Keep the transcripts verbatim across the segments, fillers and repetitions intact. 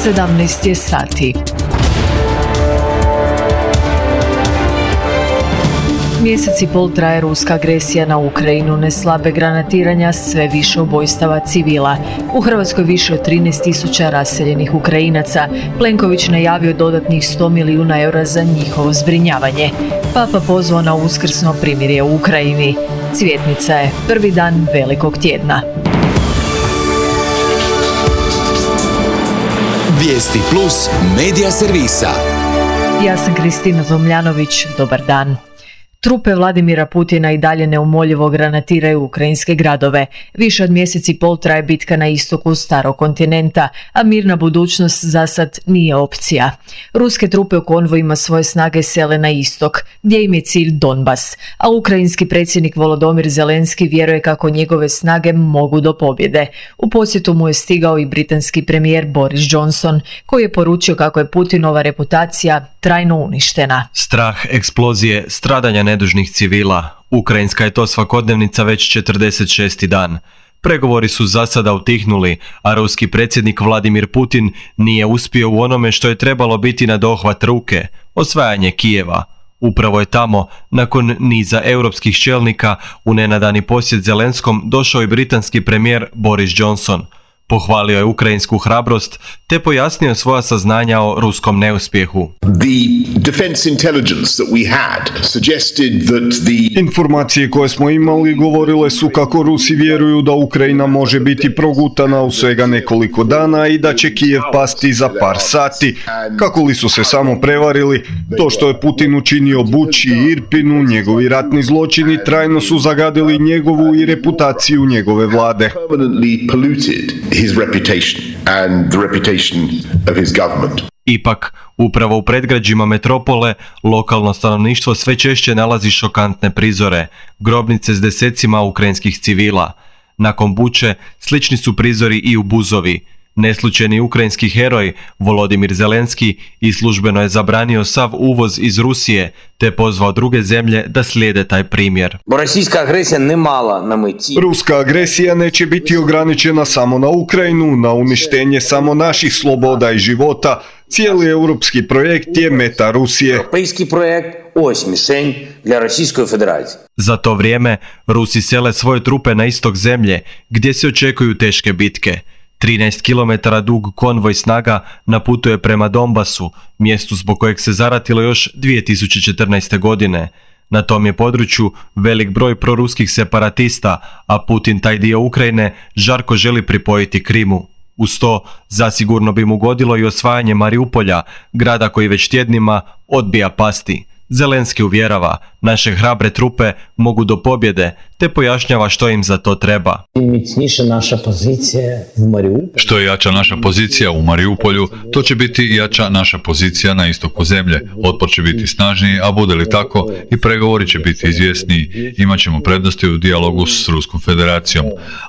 sedamnaest je sati. Mjesec i pol traje ruska agresija na Ukrajinu, neslabe granatiranja, sve više ubojstava civila. U Hrvatskoj više od trinaest tisuća raseljenih Ukrajinaca. Plenković najavio dodatnih sto milijuna eura za njihovo zbrinjavanje. Papa pozvao na uskrsno primirje u Ukrajini. Cvjetnica je prvi dan velikog tjedna. Vijesti plus medija servisa. Ja sam Kristina Tomljanović, dobar dan. Trupe Vladimira Putina i dalje neumoljivo granatiraju ukrajinske gradove. Više od mjesec i pol traje bitka na istoku starog kontinenta, a mirna budućnost za sad nije opcija. Ruske trupe u konvojima svoje snage sele na istok, gdje im je cilj Donbas, a ukrajinski predsjednik Volodymyr Zelenski vjeruje kako njegove snage mogu do pobjede. U posjetu mu je stigao i britanski premijer Boris Johnson, koji je poručio kako je Putinova reputacija trajno uništena. Strah, eksplozije, stradanja nedužnih civila. Ukrajinska je to svakodnevnica već četrdeset šesti dan. Pregovori su za sada utihnuli, a ruski predsjednik Vladimir Putin nije uspio u onome što je trebalo biti na dohvat ruke, osvajanje Kijeva. Upravo je tamo, nakon niza europskih čelnika, u nenadani posjet Zelenskom došao i britanski premijer Boris Johnson. Pohvalio je ukrajinsku hrabrost te pojasnio svoja saznanja o ruskom neuspjehu. The defense intelligence that we had suggested that the Informacije koje smo imali govorile su kako Rusi vjeruju da Ukrajina može biti progutana u svega nekoliko dana i da će Kijev pasti za par sati. Kako li su se samo prevarili, to što je Putin učinio Buči i Irpinu, njegovi ratni zločini trajno su zagadili njegovu i reputaciju njegove vlade. permanently polluted his reputation and the reputation of his government. Ipak, upravo u predgrađima metropole, lokalno stanovništvo sve češće nalazi šokantne prizore, grobnice s desecima ukrajinskih civila. Nakon Buče, slični su prizori i u Buzovi. Neslučajni ukrajinski heroj Volodymyr Zelenski i službeno je zabranio sav uvoz iz Rusije, te pozvao druge zemlje da slijede taj primjer. Російська агресія не мала на меті. Ruska agresija neće biti ograničena samo na Ukrajinu, na uništenje samo naših sloboda i života. Cijeli europski projekt je meta Rusije. Європейський проект – ось мішень для Російської Федерації. Za to vrijeme, Rusi sele svoje trupe na istok zemlje, gdje se očekuju teške bitke. trinaest kilometara dug konvoj snaga naputuje prema Donbasu, mjestu zbog kojeg se zaratilo još dvije tisuće četrnaeste. godine. Na tom je području velik broj proruskih separatista, a Putin taj dio Ukrajine žarko želi pripojiti Krimu. Uz to, zasigurno bi mu godilo i osvajanje Mariupolja, grada koji već tjednima odbija pasti. Zelenski uvjerava, naše hrabre trupe mogu do pobjede, te pojašnjava što im za to treba. Mіцніша наша позиція в Маріуполі. Što je jača naša pozicija u Mariupolju, to će biti i jača naša pozicija na istoku zemlje. Otpor će biti snažniji, a bude li tako, i pregovori će biti izvjesniji. Imaćemo prednosti u dijalogu s Ruskom federacijom.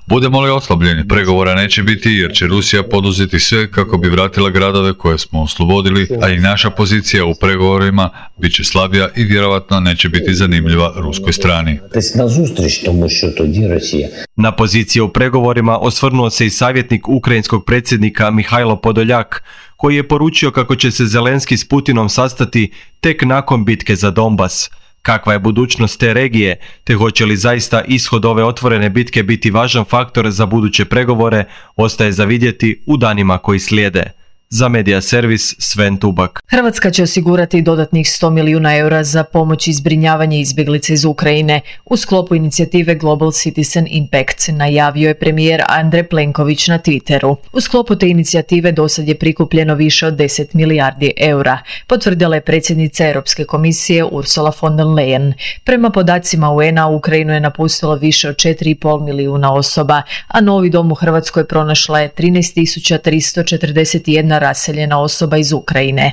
Budemo li oslabljeni, pregovora neće biti jer će Rusija poduzeti sve kako bi vratila gradove koje smo oslobodili, a i naša pozicija u pregovorima bit će slabija i vjerovatno neće biti zanimljiva ruskoj strani. Тобто назустріч, тому що тоді Росія. Na pozicije u pregovorima osvrnuo se i savjetnik ukrajinskog predsjednika Mihajlo Podoljak, koji je poručio kako će se Zelenski s Putinom sastati tek nakon bitke za Donbas. Kakva je budućnost te regije, te hoće li zaista ishod ove otvorene bitke biti važan faktor za buduće pregovore, ostaje za vidjeti u danima koji slijede. Za Medija servis Sven Tubak. Hrvatska će osigurati dodatnih sto milijuna eura za pomoć i zbrinjavanje izbjeglica iz Ukrajine u sklopu inicijative Global Citizen Impact, najavio je premijer Andrej Plenković na Twitteru. U sklopu te inicijative dosad je prikupljeno više od deset milijardi eura, potvrdila je predsjednica Europske komisije Ursula von der Leyen. Prema podacima U N-a, Ukrajinu je napustilo više od četiri i pol milijuna osoba, a novi dom u Hrvatskoj pronašla je trinaest tisuća tristo četrdeset jedna raseljena osoba iz Ukrajine.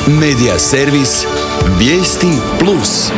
Medija servis Vijesti plus.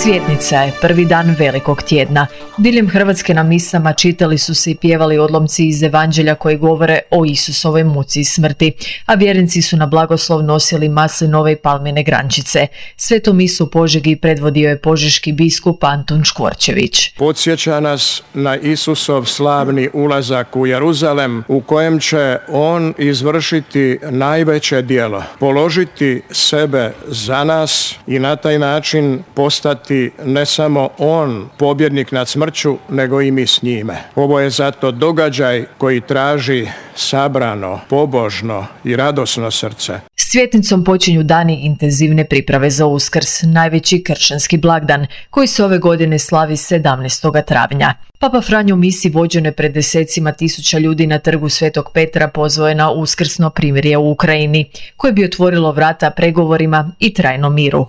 Cvjetnica je prvi dan velikog tjedna. Diljem Hrvatske na misama čitali su se i pjevali odlomci iz Evanđelja koji govore o Isusovoj muci i smrti, a vjernici su na blagoslov nosili maslinove i palmine grančice. Svetu misu u Požegi predvodio je požeški biskup Antun Škvorčević. Podsjeća nas na Isusov slavni ulazak u Jeruzalem, u kojem će on izvršiti najveće djelo, položiti sebe za nas i na taj način postati ne samo on pobjednik nad smrću, nego i mi s njime. Ovo je zato događaj koji traži sabrano, pobožno i radosno srce. S Cvjetnicom počinju dani intenzivne priprave za Uskrs, najveći kršćanski blagdan, koji se ove godine slavi sedamnaestog travnja. Papa Franjo u misi vođene pred desecima tisuća ljudi na trgu Svetog Petra pozvao je na uskrsno primirje u Ukrajini, koje bi otvorilo vrata pregovorima i trajnom miru.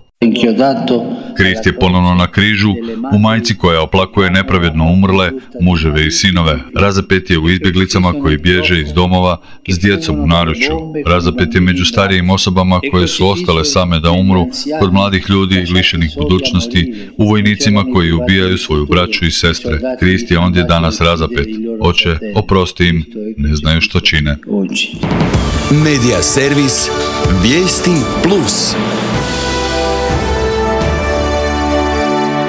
Krist je ponovno na križu, u majci koja oplakuje nepravedno umrle, muževe i sinove. Razapet je u izbjeglicama koji bježe iz domova s djecom u naručju. Razapet je među starijim osobama koje su ostale same da umru, kod mladih ljudi lišenih budućnosti, u vojnicima koji ubijaju svoju braću i sestre. Krist je ondje danas razapet. Oče, oprosti im, ne znaju što čine. Medija servis Vijesti plus.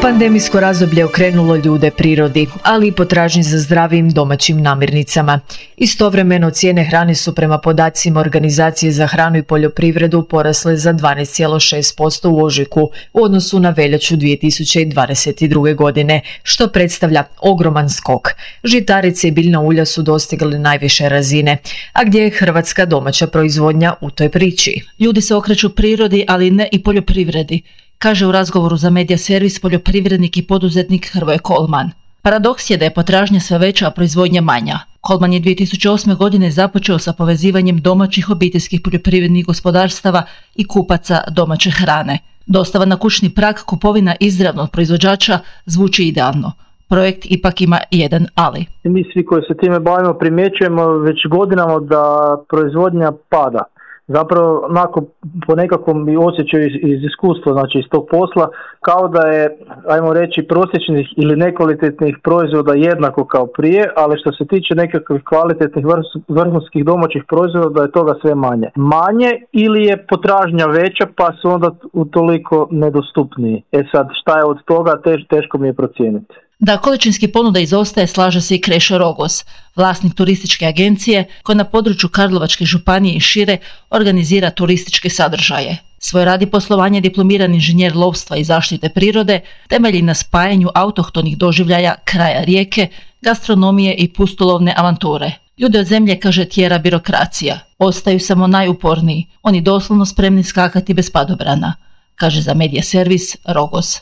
Pandemijsko razdoblje okrenulo ljude prirodi, ali i potražnji za zdravim domaćim namirnicama. Istovremeno cijene hrane su prema podacima Organizacije za hranu i poljoprivredu porasle za dvanaest zarez šest posto u ožujku u odnosu na veljaču dvije tisuće dvadeset druge. godine, što predstavlja ogroman skok. Žitarice i biljna ulja su dostigli najviše razine, a gdje je hrvatska domaća proizvodnja u toj priči? Ljudi se okreću prirodi, ali ne i poljoprivredi, kaže u razgovoru za Medija servis poljoprivrednik i poduzetnik Hrvoje Kolman. Paradoks je da je potražnja sve veća, a proizvodnja manja. Kolman je dvije tisuće osme. godine započeo sa povezivanjem domaćih obiteljskih poljoprivrednih gospodarstava i kupaca domaće hrane. Dostava na kućni prag, kupovina izravno od proizvođača zvuči idealno. Projekt ipak ima jedan ali. Mi svi koji se time bavimo primjećujemo već godinama da proizvodnja pada. Zapravo, onako, po nekakvom osjećaju iz, iz iskustva, znači iz tog posla, kao da je, ajmo reći, prosječnih ili nekvalitetnih proizvoda jednako kao prije, ali što se tiče nekakvih kvalitetnih vrhunskih domaćih proizvoda, da je toga sve manje. Manje ili je potražnja veća, pa su onda utoliko nedostupniji. E sad, šta je od toga, tež, teško mi je procijeniti. Da količinski ponuda izostaje, slaže se i Krešo Rogos, vlasnik turističke agencije koja na području Karlovačke županije i šire organizira turističke sadržaje. Svoj radi poslovanje diplomirani inženjer lovstva i zaštite prirode temelji na spajanju autohtonih doživljaja kraja rijeke, gastronomije i pustolovne avanture. Ljude od zemlje, kaže, tjera birokracija. Ostaju samo najuporniji, oni doslovno spremni skakati bez padobrana, kaže za Medija servis Rogos.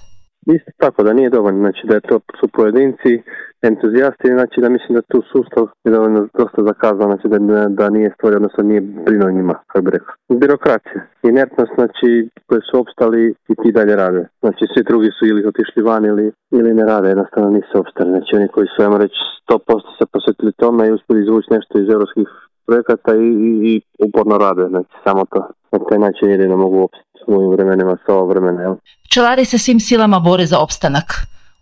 Isto tako da nije dovoljno, znači da je to su pojedinci, entuzijasti, znači da mislim da tu sustav je dovoljno dosta zakazan, znači da, da nije stvorio, odnosno nije brinuo njima, kako bi rekao. Birokracija, inertnost, znači koji su opstali i ti dalje rade. Znači svi drugi su ili otišli van ili, ili ne rade, jednostavno nisu opstali. Znači oni koji su, ajmo reći, sto posto se posvetili tome i uspjeli izvući nešto iz europskih projekata i, i, i uporno rade, znači samo to. Na taj način jedino mogu opstati u ovim vremenima, sa ovo vremena, jel? Pčelari se svim silama bore za opstanak.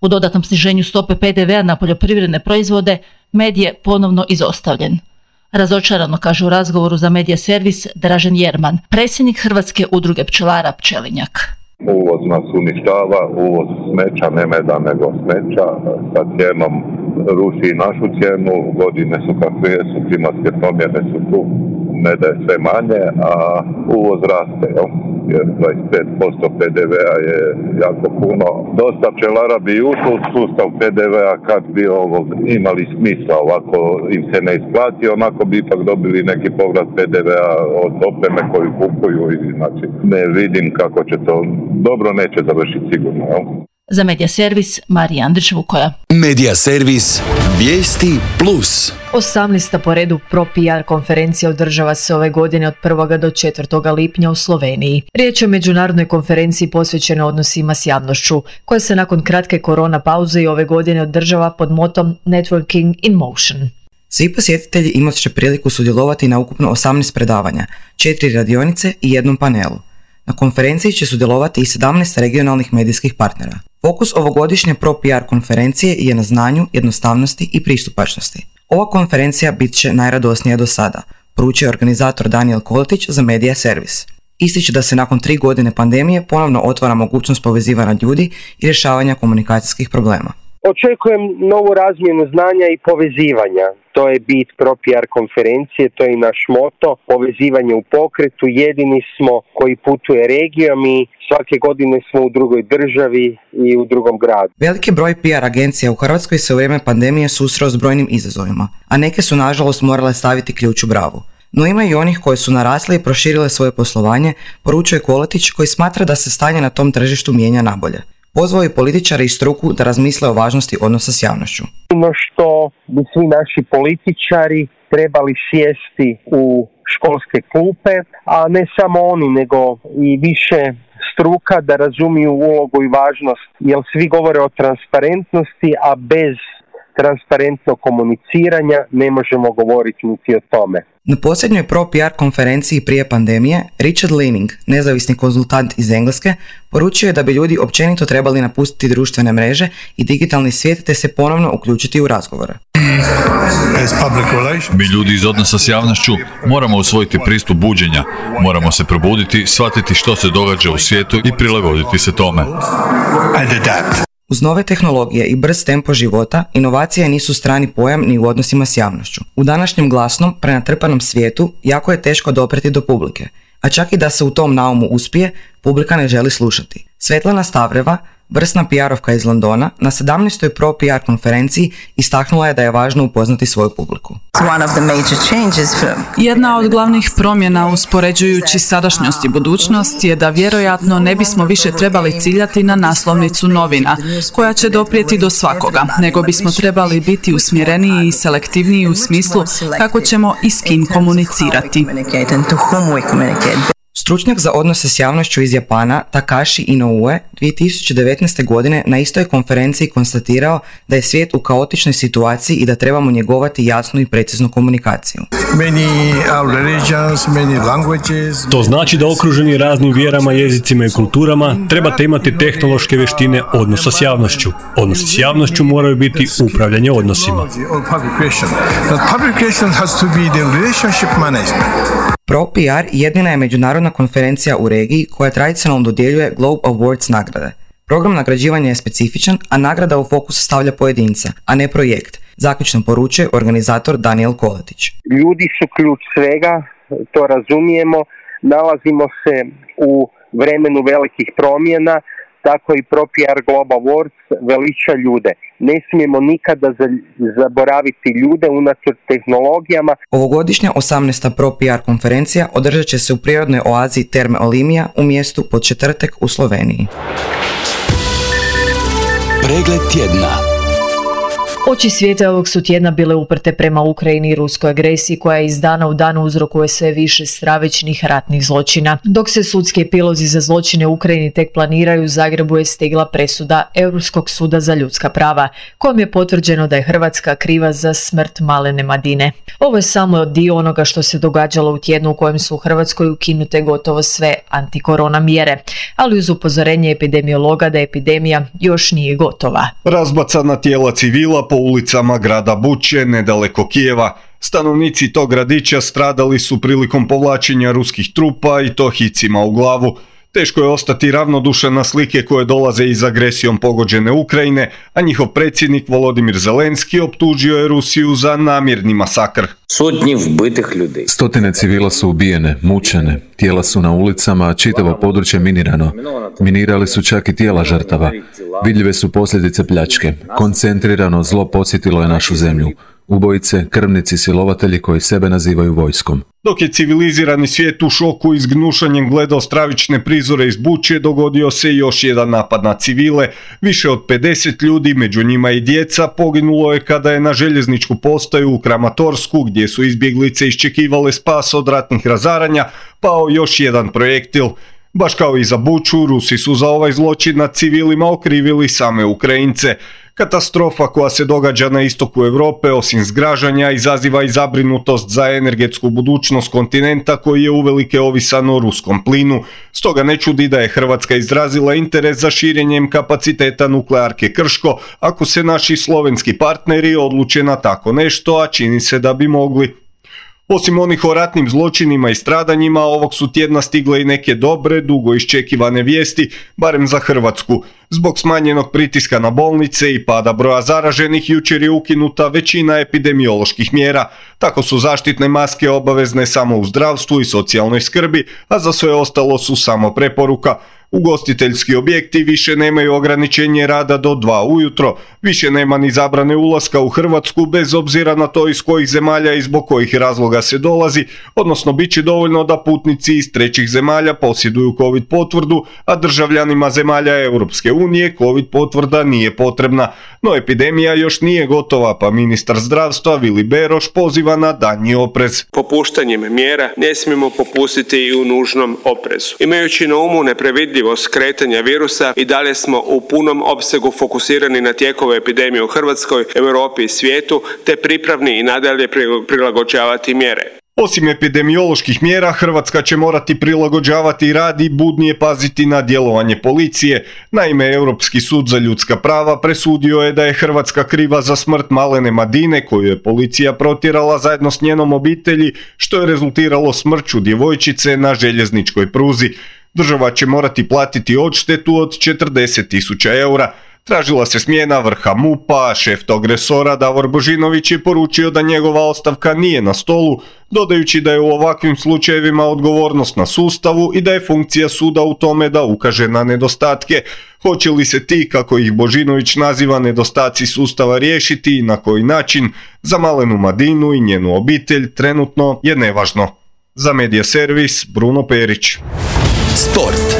U dodatnom sniženju stope pe de vea na poljoprivredne proizvode med je ponovno izostavljen. Razočarano, kaže u razgovoru za Medija servis Dražen Jerman, predsjednik Hrvatske udruge pčelara Pčelinjak. Uvoz nas uništava, uvoz smeća, ne meda nego smeća, sa cijenom ruši našu cijenu, godine su kakve su, klimatske promjene su tu, meda je sve manje, a uvoz raste, jel? Jer dvadeset pet posto pe de vea je jako puno. Dosta pčelara bi ušlo u sustav pe de vea kad bi ovo imali smisla, ovako im se ne isplati, onako bi ipak dobili neki povrat pe de vea od opreme koju kupuju i znači ne vidim kako će to, dobro neće završiti sigurno, jel? Za Medija servis Marija Andrić Vukoja. Medija servis Vijesti plus. osamnaesta po redu Pro P R konferencija održava se ove godine od prvog do četvrtog lipnja u Sloveniji. Riječ je o međunarodnoj konferenciji posvećenoj odnosima s javnošću, koja se nakon kratke korona pauze i ove godine održava pod motom Networking in Motion. Svi posjetitelji imat će priliku sudjelovati na ukupno osamnaest predavanja, četiri radionice i jednom panelu. Na konferenciji će sudjelovati i sedamnaest regionalnih medijskih partnera. Fokus ovogodišnje Pro-P R konferencije je na znanju, jednostavnosti i pristupačnosti. Ova konferencija bit će najradosnija do sada, poručuje organizator Daniel Koletić za Media Servis. Ističe da se nakon tri godine pandemije ponovno otvara mogućnost povezivanja ljudi i rješavanja komunikacijskih problema. Očekujem novu razmjenu znanja i povezivanja. To je bit Pro-P R konferencije, to je i naš moto, povezivanje u pokretu. Jedini smo koji putuje regijom i svake godine smo u drugoj državi i u drugom gradu. Veliki broj P R agencija u Hrvatskoj se u vrijeme pandemije susreo s brojnim izazovima, a neke su nažalost morale staviti ključ u bravu. No ima i onih koji su narasli i proširile svoje poslovanje, poručuje Koletić, koji smatra da se stanje na tom tržištu mijenja nabolje. Pozvao je političare i struku da razmisle o važnosti odnosa s javnošću. Ono što bi svi naši političari trebali sjesti u školske klupe, a ne samo oni, nego i više struka da razumiju ulogu i važnost, jer svi govore o transparentnosti, a bez transparentnog komuniciranja ne možemo govoriti niti o tome. Na posljednjoj Pro-P R konferenciji prije pandemije, Richard Leaning, nezavisni konzultant iz Engleske, poručio je da bi ljudi općenito trebali napustiti društvene mreže i digitalni svijet te se ponovno uključiti u razgovore. Mi ljudi iz odnosa s javnošću moramo usvojiti pristup buđenja, moramo se probuditi, shvatiti što se događa u svijetu i prilagoditi se tome. Uz nove tehnologije i brz tempo života, inovacije nisu strani pojam ni u odnosima s javnošću. U današnjem glasnom, prenatrpanom svijetu jako je teško dopreti do publike, a čak i da se u tom naumu uspije, publika ne želi slušati. Svetlana Stavreva, vrsna P R-ovka iz Londona, na sedamnaestoj Pro-P R konferenciji istaknula je da je važno upoznati svoju publiku. Jedna od glavnih promjena uspoređujući sadašnjost i budućnost je da vjerojatno ne bismo više trebali ciljati na naslovnicu novina, koja će doprijeti do svakoga, nego bismo trebali biti usmjereniji i selektivniji u smislu kako ćemo i s kim komunicirati. Stručnjak za odnose s javnošću iz Japana, Takashi Inoue, dvije tisuće devetnaeste. godine na istoj konferenciji konstatirao da je svijet u kaotičnoj situaciji i da trebamo njegovati jasnu i preciznu komunikaciju. To znači da okruženi raznim vjerama, jezicima i kulturama trebate imati tehnološke vještine odnosa s javnošću. Odnosi s javnošću moraju biti upravljanje odnosima. Pro-P R jedina je međunarodna konferencija u regiji koja tradicionalno dodjeljuje Globe Awards nagrade. Program nagrađivanja je specifičan, a nagrada u fokus stavlja pojedinca, a ne projekt, zaključno poručuje organizator Daniel Koletić. Ljudi su ključ svega, to razumijemo, nalazimo se u vremenu velikih promjena, tako i Pro-P R Global Awards veliča ljude. Ne smijemo nikada zaboraviti ljude unatoč tehnologijama. Ovogodišnja osamnaesta Pro-P R konferencija održat će se u prirodnoj oazi Terme Olimija u mjestu Podčetrtek u Sloveniji. Pregled tjedna. Oči svijeta ovog su tjedna bile uprte prema Ukrajini i ruskoj agresiji koja iz dana u dan uzrokuje sve više stravičnih ratnih zločina. Dok se sudski epilozi za zločine u Ukrajini tek planiraju, u Zagrebu je stigla presuda Europskog suda za ljudska prava, kojom je potvrđeno da je Hrvatska kriva za smrt malene Madine. Ovo je samo dio onoga što se događalo u tjednu u kojem su u Hrvatskoj ukinute gotovo sve antikorona mjere, ali uz upozorenje epidemiologa da epidemija još nije gotova. Razbacana tijela civila po ulicama grada Buče, nedaleko Kijeva. Stanovnici tog gradića stradali su prilikom povlačenja ruskih trupa i to hicima u glavu. Teško je ostati ravnodušan na slike koje dolaze iz agresijom pogođene Ukrajine, a njihov predsjednik Volodimir Zelenski optužio je Rusiju za namjerni masakr. Sotnji vbitih ljudi. Stotine civila su ubijene, mučene, tijela su na ulicama, a čitavo područje minirano. Minirali su čak i tijela žrtava. Vidljive su posljedice pljačke. Koncentrirano zlo podsjetilo je našu zemlju. Ubojice, krvnici, silovatelji koji sebe nazivaju vojskom. Dok je civilizirani svijet u šoku i s gnušanjem gledao stravične prizore iz Buče, dogodio se još jedan napad na civile. Više od pedeset ljudi, među njima i djeca, poginulo je kada je na željezničku postaju u Kramatorsku, gdje su izbjeglice iščekivale spas od ratnih razaranja, pao još jedan projektil. Baš kao i za Buču, Rusi su za ovaj zločin nad civilima okrivili same Ukrajince. Katastrofa koja se događa na istoku Europe osim zgražanja izaziva i zabrinutost za energetsku budućnost kontinenta koji je uvelike ovisan o ruskom plinu. Stoga ne čudi da je Hrvatska izrazila interes za širenjem kapaciteta nuklearke Krško ako se naši slovenski partneri odluče na tako nešto, a čini se da bi mogli. Osim onih o ratnim zločinima i stradanjima, ovog su tjedna stigle i neke dobre, dugo iščekivane vijesti, barem za Hrvatsku. Zbog smanjenog pritiska na bolnice i pada broja zaraženih, jučer je ukinuta većina epidemioloških mjera. Tako su zaštitne maske obavezne samo u zdravstvu i socijalnoj skrbi, a za sve ostalo su samo preporuka. Ugostiteljski objekti više nemaju ograničenje rada do dva ujutro, više nema ni zabrane ulaska u Hrvatsku bez obzira na to iz kojih zemalja i zbog kojih razloga se dolazi, odnosno bit će dovoljno da putnici iz trećih zemalja posjeduju COVID potvrdu, a državljanima zemalja Europske unije COVID potvrda nije potrebna. No epidemija još nije gotova, pa ministar zdravstva Vili Beroš poziva na daljnji oprez. Popuštanjem mjera ne smijemo popustiti i u nužnom oprezu. Imajući na umu neprevidljivost kretanja virusa i dalje smo u punom opsegu fokusirani na tijekove epidemije u Hrvatskoj, Europi i svijetu, te pripravni i nadalje prilagođavati mjere. Osim epidemioloških mjera, Hrvatska će morati prilagođavati rad i budnije paziti na djelovanje policije. Naime, Europski sud za ljudska prava presudio je da je Hrvatska kriva za smrt Malene Madine, koju je policija protjerala zajedno s njenom obitelji, što je rezultiralo smrću djevojčice na željezničkoj pruzi. Država će morati platiti odštetu od četrdeset tisuća eura. Tražila se smjena vrha MUP-a, a šef tog resora Davor Božinović je poručio da njegova ostavka nije na stolu, dodajući da je u ovakvim slučajevima odgovornost na sustavu i da je funkcija suda u tome da ukaže na nedostatke. Hoće li se ti, kako ih Božinović naziva, nedostaci sustava riješiti i na koji način, za Malenu Madinu i njenu obitelj trenutno je nevažno. Za Medija servis, Bruno Perić. Sport.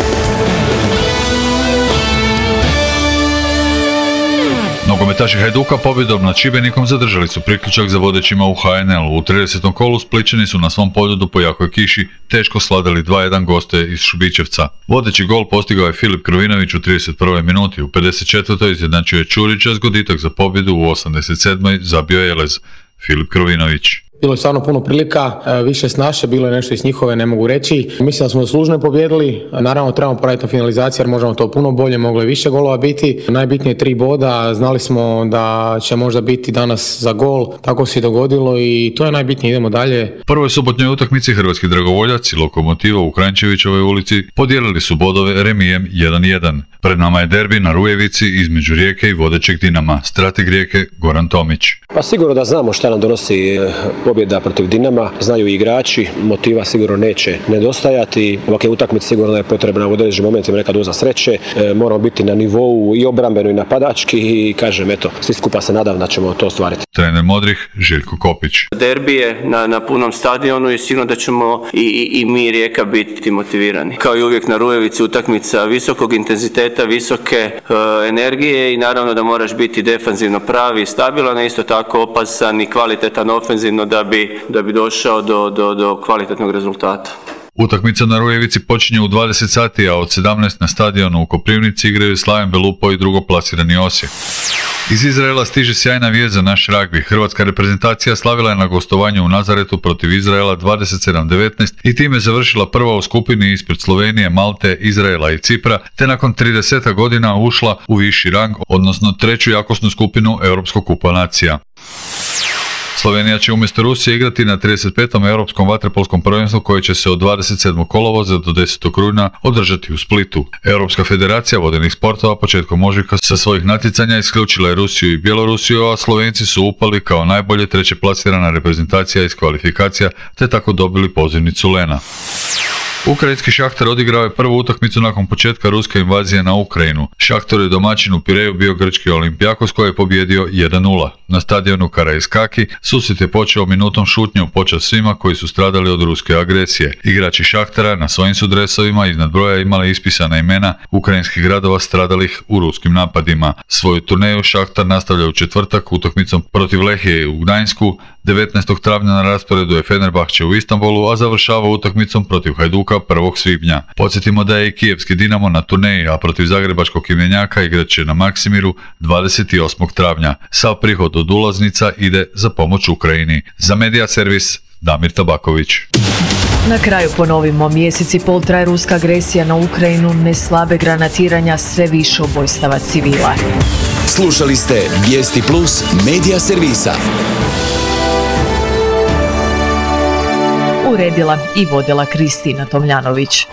Nogometaši Hajduka pobjedom nad Šibenikom zadržali su priključak za vodećima u H N L-u. U tridesetom kolu Splićani su na svom poljudu po jakoj kiši teško sladali dva jedan goste iz Šubićevca. Vodeći gol postigao je Filip Krovinović u trideset prvoj minuti, u pedeset četvrtoj izjednačio je Čurić, a zgoditak za pobjedu u osamdeset sedmoj zabio je Elez. Filip Krovinović. Bilo je stvarno puno prilika, više s naše, bilo je nešto iz njihove, ne mogu reći. Mislim da smo zaslužno pobijedili, naravno trebamo poraditi na finalizaciji jer možemo to puno bolje, moglo je više golova biti. Najbitnije tri boda, znali smo da će možda biti danas za gol, tako se i dogodilo i to je najbitnije, idemo dalje. Prvoj subotnjoj utakmici hrvatski dragovoljaci Lokomotiva u Kranjčevićevoj ulici podijelili su bodove remijem jedan jedan. Pred nama je derbi na Rujevici između Rijeke i vodećeg Dinama, strateg Rijeke Goran Tomić. Pa sigurno da znamo šta nam donosi pobjeda protiv Dinama, znaju i igrači, motiva sigurno neće nedostajati. Ovakve utakmice sigurno je potrebna u određenim momentima neka doza sreće, e, moramo biti na nivou i obrambeno i napadački i kažem eto, svi skupa se nadam da ćemo to ostvariti. Trener Modrih Željko Kopić. Derbi je na, na punom stadionu i sigurno da ćemo i, i, i mi Rijeka biti motivirani. Kao i uvijek na Rujevici utakmica visokog intenziteta, visoke e, energije i naravno da moraš biti defanzivno pravi i stabilan, isto tako opasan i kvalitetan ofenzivno da bi, da bi došao do, do, do kvalitetnog rezultata. Utakmica na Rujevici počinje u dvadeset sati, a od sedamnaest na stadionu u Koprivnici igraju Slaven Belupo i drugoplasirani Osijek. Iz Izraela stiže sjajna vijest za naš ragbi. Hrvatska reprezentacija slavila je na gostovanju u Nazaretu protiv Izraela dvadeset sedam devetnaest i time završila prva u skupini ispred Slovenije, Malte, Izraela i Cipra, te nakon trideset godina ušla u viši rang, odnosno treću jakosnu skupinu Europskog kupa nacija. Slovenija će umjesto Rusije igrati na trideset petom Europskom vaterpolskom prvenstvu koje će se od dvadeset sedmog kolovoza do desetog rujna održati u Splitu. Europska federacija vodenih sportova početkom ožujka sa svojih natjecanja isključila je Rusiju i Bjelorusiju, a Slovenci su upali kao najbolje treće plasirana reprezentacija iz kvalifikacija te tako dobili pozivnicu Lena. Ukrajinski Šahtar odigrao je prvu utakmicu nakon početka ruske invazije na Ukrajinu. Šahtar je domaćin u Pireju bio grčki Olimpijakos koji je pobjedio jedan nula. Na stadionu Karaiskaki susret je počeo minutom šutnje u počast svima koji su stradali od ruske agresije. Igrači Šahtara na svojim su dresovima iznad broja imali ispisana imena ukrajinskih gradova stradalih u ruskim napadima. Svoju turneju Šahtar nastavlja u četvrtak utakmicom protiv Lehije u Gdańsku, devetnaestog travnja na rasporedu je Fenerbahče u Istanbulu, a završava utakmicom protiv Hajduka prvog svibnja. Podsjetimo da je i kijevski Dinamo na turneji, a protiv zagrebačkog Imenjaka igrat će na Maksimiru dvadeset osmog travnja. Sav prihod od ulaznica ide za pomoć Ukrajini. Za Medija servis Damir Tabaković. Na kraju ponovimo, mjesec i pol traje ruska agresija na Ukrajinu, ne slabe granatiranja, sve više ubojstava civila. Slušali ste Vijesti Plus Medija servisa. Uredila i vodila Kristina Tomljanović.